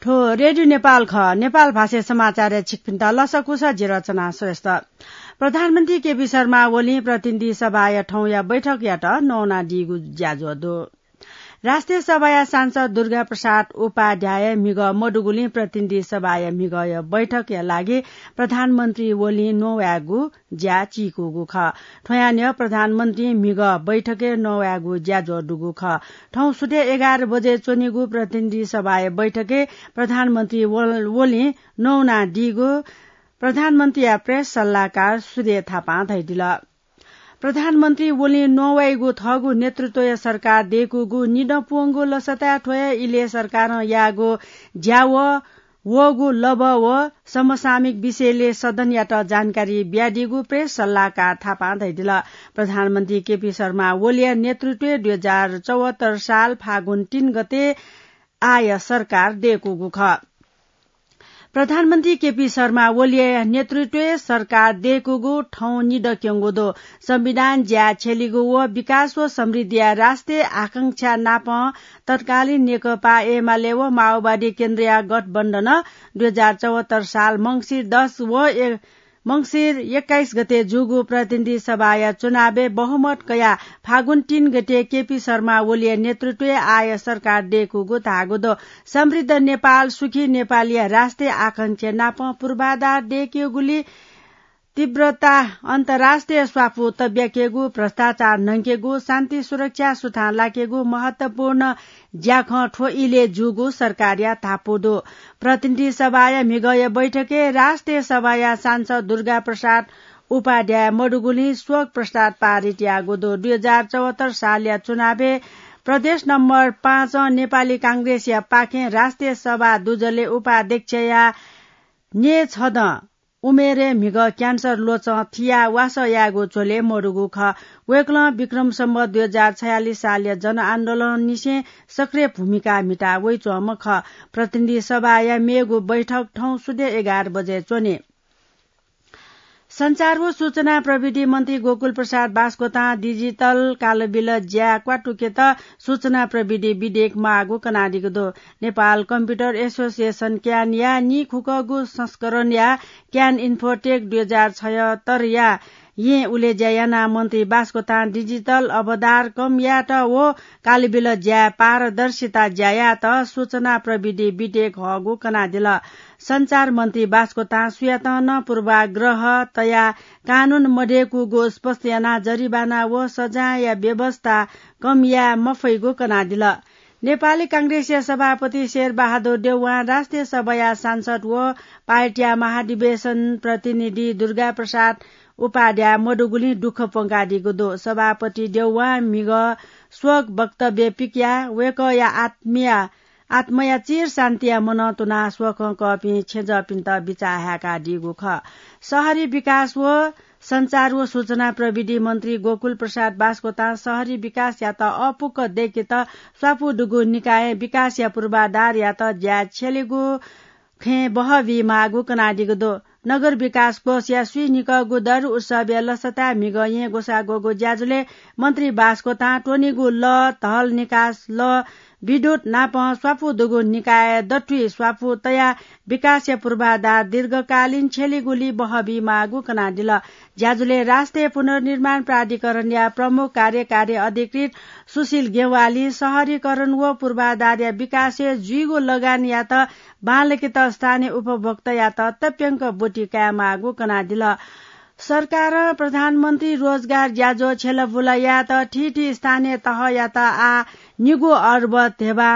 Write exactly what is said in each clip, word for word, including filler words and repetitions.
थ्व रेडियो नेपाल खः। नेपाल भाषाय् समाचारय् छिकपिन्त लसकुस, जि रचना श्रेष्ठ। प्रधानमन्त्री केपी शर्मा ओलीं प्रतिनिधि सभाया थौंया बैठकयात नवानादीगु ज्याझ्वः दु। राष्ट्रिय सभाया सांसद दुर्गा प्रसाद उपाध्याय म्हिगः मदुगुलिं प्रतिनिधि सभाया म्हिगःया बैठकया लागि प्रधानमन्त्री ओलीं नवायेगु ज्या चीकूगु खः। थ्वयां न्ह्यः प्रधानमन्त्री म्हिगः बैठकय् नवायेगु ज्याझ्वः दुगु खः। थौं सुथय् एघार बजे च्वनीगु प्रतिनिधि सभाया बैठकय् प्रधानमन्त्री ओल-, ओलीं नवानादीगु प्रधानमन्त्रीया प्रेस सल्लाहकार सुधे थापां धयादिल। प्रधानमन्त्री ओलीं नवाइगु थःगु नेतृत्वया सरकार दय्कूगु निदँ पूवंगु लसताय् थ्व हे इलय् सरकारं याःगु ज्या व वःगु लभ्व व समसामयिक विषयलय् सदनयात जानकारी बियादीगु प्रेस सल्लाहकार थापां धयादिल। प्रधानमन्त्री केपी शर्मा ओलीया नेतृत्वय् दुई हजार चौहत्तर साल फागुन तीन गते आःया सरकार दय्कूगु खः। प्रधानमन्त्री केपी शर्मा ओलीया नेतृत्वय् सरकार दय्कूगु थौं निदँ क्यंगु दु। संविधान ज्या छ्यलीगु व विकास व समृद्धिया राष्ट्रिय आकांक्षा नापं तत्कालीन नेकपा एमाले व माओवादी केन्द्रीय गठबन्धनं दुई हजार चौहत्तर साल मंसिर दस व ए-, मंसिर एक्काइस गते जूगु प्रतिनिधि सभाया चुनावय् बहुमत कयाः फागुन तीन गते केपी शर्मा ओलीया नेतृत्वय् आःया सरकार दय्कूगु धाःगु दु। समृद्ध नेपाल, सुखी नेपालया राष्ट्रिय आकांक्षा नापं पूर्वाधार दय्केगुली तीव्रता, अन्तर्राष्ट्रिय स्वापू तब्याकेगु, भ्रष्टाचार न्हंकेगु, शान्ति सुरक्षा सुथां लाकेगु महत्वपूर्ण ज्याखँ थ्व इलय् जूगु सरकारया धापू दु। प्रतिनिधि सभाया म्हिगःया बैठकय् राष्ट्रिय सभाया सांसद दुर्गा प्रसाद उपाध्याय मदुगुलिं शोक प्रस्ताव पारित याःगु दु। दुई हजार चौहत्तर सालया चुनावय् प्रदेश नम्बर पाँचं नेपाली कांग्रेसया पाखें राष्ट्रिय सभा दुजलय् उपाध्यक्षया न्येछदँ उमेरय् म्हिगः क्यान्सर ल्वचं थियाः वासः यायेगु झ्वलय् मदुगु खः। वय्कलं विक्रम सम्वत दुई हजार छयालिस सालया जनआन्दोलननिसें सक्रिय भूमिका म्हिता वइच्वंम्ह खः। प्रतिनिधि सभाया मेगु बैठक थौं सुथय् एघार बजे च्वनी। सञ्चार व सूचना प्रविधि मन्त्री गोकुल प्रसाद बास्कोतां डिजिटल कालबिल ज्या क्वातुकेत सूचना प्रविधि विधेयक माःगु कनादीगु दु। नेपाल कम्प्युटर एसोसिएसन, क्यानया निखुकःगु संस्करणया क्यान इन्फोटेक दुई हजार छयत्तरया येँ उलेज्या यानाः मन्त्री बास्कोतां डिजिटल अवधार कम यायेत व कालबिल ज्याय् पारदर्शिता ज्या यायेत सूचना प्रविधि विधेयक हःगु कनादिल। सञ्चार मन्त्री बास्कोतां सुयातं नं पूर्वाग्रह तयाः कानून मदय्कूगु स्पष्ट यानाः जरिवाना व सजायया व्यवस्था कम याये मफइगु कनादिल। नेपाली कांग्रेसया सभापति शेरबहादुर देउवां राष्ट्रिय सभाया सांसद व पार्टीया महाधिवेशन प्रतिनिधि दुर्गा प्रसाद उपाध्याय मदुगुलिं दुःख प्वंकादीगु दु। सभापति देउवां म्हिगः शोक वक्तव्य पिकयाः वय्कःया आत्मीय आत्मया चिर शान्तिया मनं तुनाः शोकं कःपिं छेँजःपिन्त बिचाः हाय्कादीगु खः। शहरी विकास व सञ्चार व सूचना प्रविधि मन्त्री गोकुल प्रसाद बास्कोतां शहरी विकासयात अःपुक दय्केत स्वापू दुगु निकायं विकासया पूर्वाधारयात ज्या छ्यलेगु खँय् बहः बीमाःगु कनादीगु दु। नगर विकास कोषया स्वीनिकःगु दरु उत्सवया लसताय् म्हिगः येँ ग्वसाः ग्वःगु ज्याझ्वलय् मन्त्री बास्कोतां त्वनीगु लः, ढल निकास लः, विद्युत नापं स्वापू दुगु निकायय् दथुइ स्वापू तयाः विकासया पूर्वाधार दीर्घकालीन छ्यलीगुली बहः बीमाःगु कनादिल। ज्याझ्वलय् राष्ट्रिय पुनर्निर्माण प्राधिकरणया प्रमुख कार्यकारी अधिकृत सुशील गेवालीं शहरीकरण व पूर्वाधारया विकासय् जुइगु लगानीयात बांलाकेत स्थानीय उपभोक्तायात तप्यंक ब्वति कायेमाःगु कनादिल। सरकारं प्रधानमन्त्री रोजगार ज्याझ्वः छ्यलाबुला यायेत थीथी स्थानीय तहयात आः निगू अर्ब ध्यबा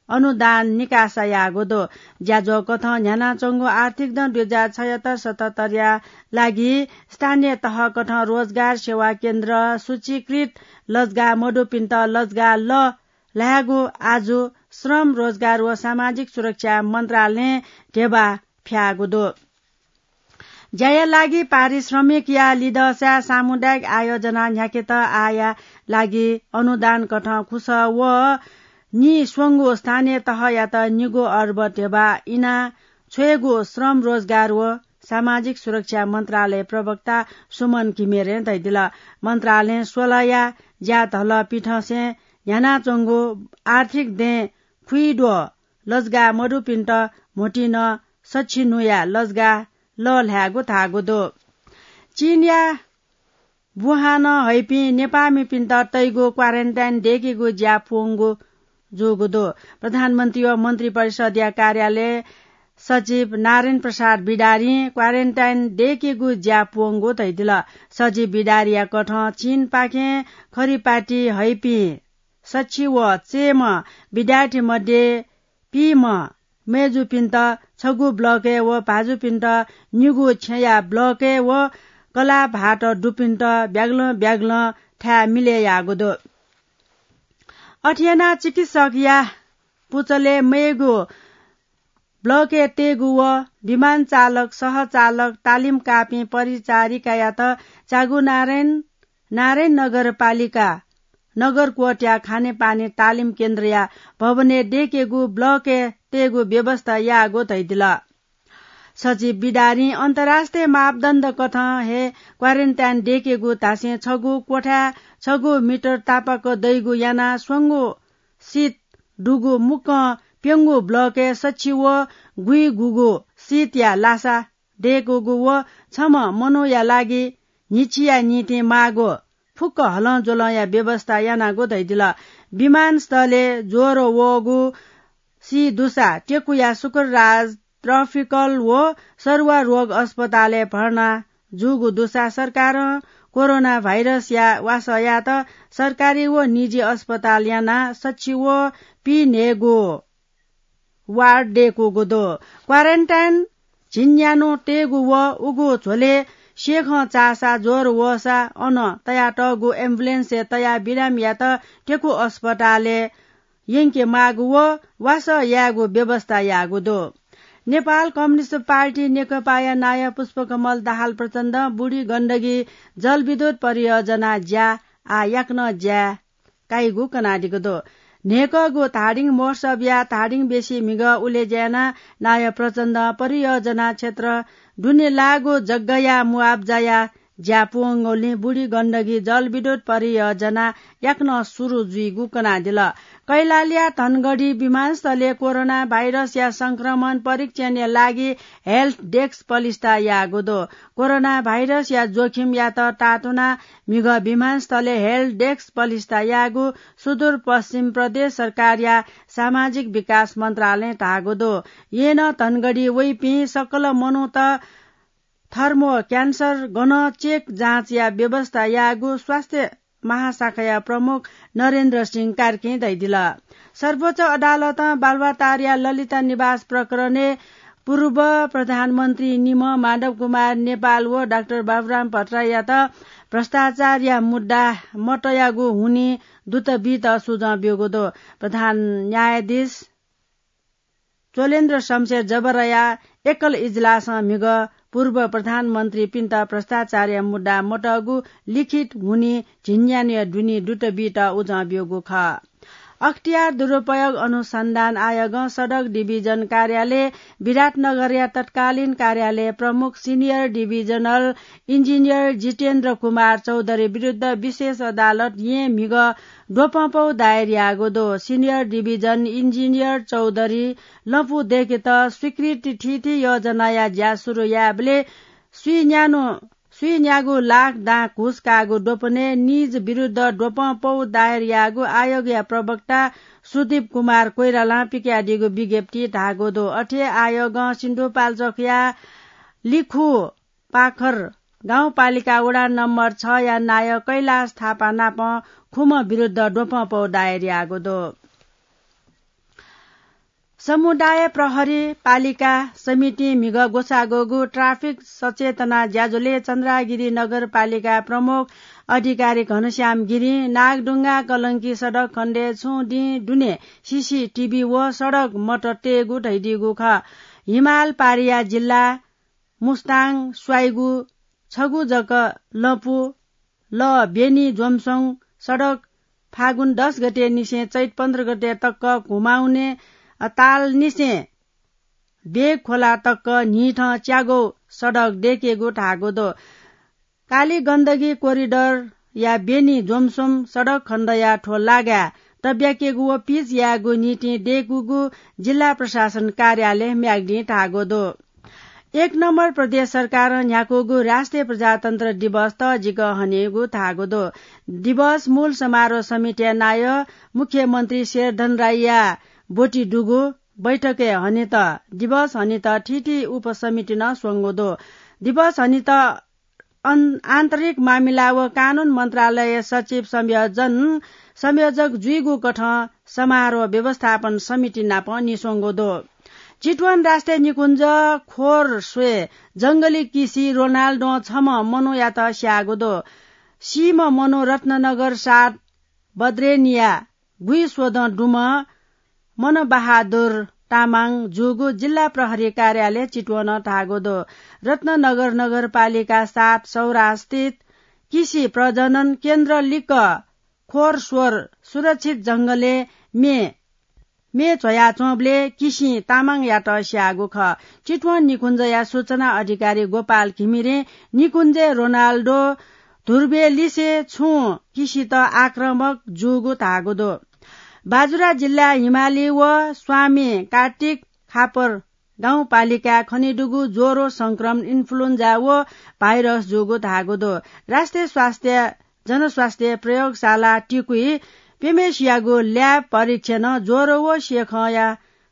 अनुदान निकासा याःगु दु। ज्याझ्वः कथं न्ह्यानाच्वंगु आर्थिक दँ दुई हजार छयत्तर सतहत्तरया लागि स्थानीय तह कथं रोजगार सेवा केन्द्र सूचीकृत लजगाः मदुपिन्त लजगाः लः ल्हायेगु आजु श्रम, रोजगार व सामाजिक सुरक्षा मन्त्रालयं ध्यबा फ्याःगु दु। ज्याया लागि पारिश्रमिकया लिधःसाय् सामुदायिक आयोजना न्ह्याकेत आःया लागि अनुदान कथं खुसः व निस्वंगु स्थानीय तहयात निगू अर्ब ध्यबा इना छ्वयेगु श्रम, रोजगार व सामाजिक सुरक्षा मन्त्रालय प्रवक्ता सुमन घिमिरें धयादिल। मन्त्रालयं स्वलया ज्याधलपिन्थंसें न्ह्यानाच्वंगु आर्थिक दँय् खुइद्वः लजगाः मदुपिन्त म्होतिं नं सछि नुया लजगाः लःल्हायेगु धाःगु दु। चीनया वुहानं हइपिं नेपाःमिपिन्त तइगु क्वारेन्टाइन दय्केगु ज्या पूवंगु जूगु दु। प्रधानमन्त्री व मन्त्री परिषदया कार्यालय सचिव नारायण प्रसाद बिडारीं क्वारेन्टाइन दय्केगु ज्या पूवंगु धइदिल। सचिव बिडारीया कथं चीनपाखें खरिपाति हइपिं सछि व चय्म्ह विद्यार्थी मध्ये पीम्ह मय्जुपिन्त छगू ब्लकय् व भाजुपिन्त निगू छेँया ब्लकय् व कलाः भाःत दुपिन्त ब्यागलं ब्यागलं थाय् मिले याःगु दु। अथे यानाः चिकित्सकया पुचलय् मय्गु ब्लकय् तय्गु व विमान चालक, सहचालक, तालिम काःपिं परिचारिकायात च्यागू नारायण, नारायण नगरपालिका नगरकोटया खानेपानी तालिम केन्द्रया भवनय् दय्केगु ब्लकय् तय्गु व्यवस्था याःगु धइदिल। सचिव बिडारीं अन्तर्राष्ट्रिय मापदण्ड कथं हे क्वारेन्टाइन दय्केगु धासें छगू कोठाय् छगू मिटर तापाक दइगु यानाः स्वंगू सिट दुगु मुक्कं प्यंगू ब्लकय् सछि व गुइगुगु सिटया लासा दय्कूगु व छम्ह मनूया लागि न्हिच्छिया निंतिं माःगु फुक्क हलंज्वलंया व्यवस्था यानागु धइदिल। विमानस्थलय् ज्वर वःगु सी दुसा टेकुया शुक्रराज ट्रपिकल व सरुवा रोग अस्पतालय् भर्ना जूगु दुसा सरकारं कोरोना भाइरसया वासः यायेत सरकारी व निजी अस्पताल यानाः सछि व पीन्हय्गू वार्ड दय्कूगु दु। क्वारेन्टाइन झिंन्यान्हु तय्गु व उगु झ्वलय् सेखं चाःसा ज्वर वःसा अन तयातःगु एम्बुलेन्सय् तयाः बिरामीयात टेकु अस्पतालय् यंके माःगु व वासः यायेगु व्यवस्था याःगु दु। नेपाल कम्युनिस्ट पार्टी नेकपाया नायः पुष्पकमल दाहाल प्रचण्डं बुढी गण्डकी जलविद्युत परियोजना ज्या आः याकनं ज्या काइगु कनादीगु दु। न्हय्कःगु धादिङ महोत्सवया धादिङ बेसी म्हिगः उलेज्या यानाः नायः प्रचण्डं परियोजना क्षेत्र दुने लाःगु जग्गाया मुआब्जाया ज्या पूवंगुलिं बुढी गण्डकी जलविद्युत परियोजना याकनं सुरु जुइगु कनादिल। कैलालीया धनगढी विमानस्थलय् कोरोना भाइरसया संक्रमण परीक्षणया लागि हेल्प डेस्क पलिस्था याःगु दु। कोरोना भाइरसया जोखिमयात तातुनाः म्हिगः विमानस्थलय् हेल्प डेस्क पलिस्था याःगु सुदूरपश्चिम प्रदेश सरकारया सामाजिक विकास मन्त्रालयं धाःगु दु। येँ नं धनगढी वइपिं सकल मनूत थर्मो क्यान्सर गनं चेक जाँचया व्यवस्था याःगु स्वास्थ्य महाशाखाया प्रमुख नरेन्द्र सिंह कार्कीं धयादिल। सर्वोच्च अदालतं बालुवाटारया ललिता निवास प्रकरणय् पूर्व प्रधानमन्त्री निम्ह माधव कुमार नेपाल व डाक्टर बाबुराम भट्टराईयात भ्रष्टाचारया मुद्दा मतयागु हुनिं दुत बीत सुझाव ब्यूगु दु। प्रधान न्यायाधीश चोलेन्द्र शमशेर जबराया एकल इजलासं म्हिगः पूर्व प्रधानमन्त्रीपिन्त भ्रष्टाचारया मुद्दा मतःगु लिखित हुनिं झिंन्यान्हुया दुने दुत बीत उजं ब्यूगु खः। अख्तियार दुरुपयोग अनुसन्धान आयोगं सडक डिभिजन कार्यालय विराटनगरया तत्कालीन कार्यालय प्रमुख सिनियर डिभिजनल इन्जिनियर जितेन्द्र कुमार चौधरी विरुद्ध विशेष अदालत येँ म्हिगः द्वपंपौ दायर याःगु दु। सिनियर डिभिजन इन्जिनियर चौधरी लँपु दय्केत स्वीकृति थीथी योजनाया ज्या सुरु यायेबलय् स्वीन्यान्हु, स्वीन्यागू लाख दां घुस काःगु द्वपनय् निज विरुद्ध द्वपंपौ दायर याःगु आयोगया प्रवक्ता सुदीप कुमार कोइरालां पिकयादीगु विज्ञप्ति धाःगु दु। अथे आयोगं सिन्धुपाल्चोकया लिखु पाखर गाउँपालिका वडा नम्बर छया नायः कैलाश थापा नाप खुम्ह विरुद्ध द्वपंपौ दायर याःगु दु। समुदाय प्रहरी पालिका समितिं म्हिगः ग्वसाः ग्वःगु ट्राफिक सचेतना ज्याझ्वलय् चन्द्रागिरी नगरपालिका प्रमुख अधिकारी घनश्याम गिरिं नागढुङ्गा कलंकी सडक खण्डय् छुं दिं दुने सीसीटीभी व सडक मत तयेगु धयादीगु खः। हिमाल पारिया जिल्ला मुस्ताङ स्वाइगु छगू जक लँपु ल बेनी ज्वमसोङ सडक फागुन दस गते निसें चैत पन्ध्र गते तक घुमाउने ताल निसें बेग खोला तक न्हिथं च्यागौ सडक दय्केगु धाःगु दु। काली गण्डकी कोरिडरया बेनी ज्वमसोम सडक खण्डया थ्व लागाय् तब्याकेगु व पिच यायेगु निंतिं दयेकूगु जिल्ला प्रशासन कार्यालय म्याग्दिं धाःगु दु। एक नम्बर प्रदेश सरकारं न्ह्याकूगु राष्ट्रिय प्रजातन्त्र दिवस तःजिक हनेगु धाःगु दु। दिवस मूल समारोह समितिया नायः मुख्यमन्त्री शेरधन राईया ब्वति दुगु बैठकय् हनेत दिवस हनेत थीथी उपसमितिनं स्वंगु दु। दिवस हनेत अन-, आन्तरिक मामिला व कानून मन्त्रालय सचिव संयोजन, संयोजक जुइगु कथं समारोह व्यवस्थापन समिति नाप निस्वंगु दु। चितवन राष्ट्रिय निकुञ्ज खोर स्वये जंगली किसि रोनाल्डों छम्ह मनूयात स्याःगु दु। सीम्ह मनू रत्ननगर सात बद्रेनिया गुइस्वदँ दुम्ह मनबहादुर तामाङ जूगु जिल्ला प्रहरी कार्यालय चितवनं धाःगु दु। रत्ननगर नगरपालिका सात सौरास्थित किसि प्रजनन केन्द्र लिक्क खोरस्वर सुरक्षित जंगलय् मे, मे झ्वयाच्वंबलय् किसिं तामाङयात स्याःगु खः। चितवन निकुञ्जया सूचना अधिकारी गोपाल घिमिरें निकुञ्जय् रोनाल्डो धुर्बे लिसे छुं किसित आक्रामक जूगु धाःगु दु। बाजुरा जिल्ला हिमाली व स्वामी कार्तिक खापर गाउँपालिकाय् खनेदुगु ज्वरो संक्रमण इन्फ्लुएन्जा व भाइरस जूगु धाःगु दु। राष्ट्रिय स्वास्थ्य जनस्वास्थ्य प्रयोगशाला टिकुइ पेमेसियागु ल्याब परीक्षणं ज्वरो व सेखंया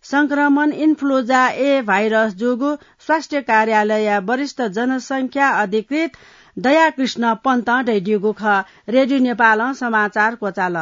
संक्रमण इन्फ्लुएन्जा ए भाइरस जूगु स्वास्थ्य कार्यालयया वरिष्ठ जनसंख्या अधिकृत दयाकृष्ण पन्तं धयादीगु खः। रेडियो नेपालं समाचार क्वचाल।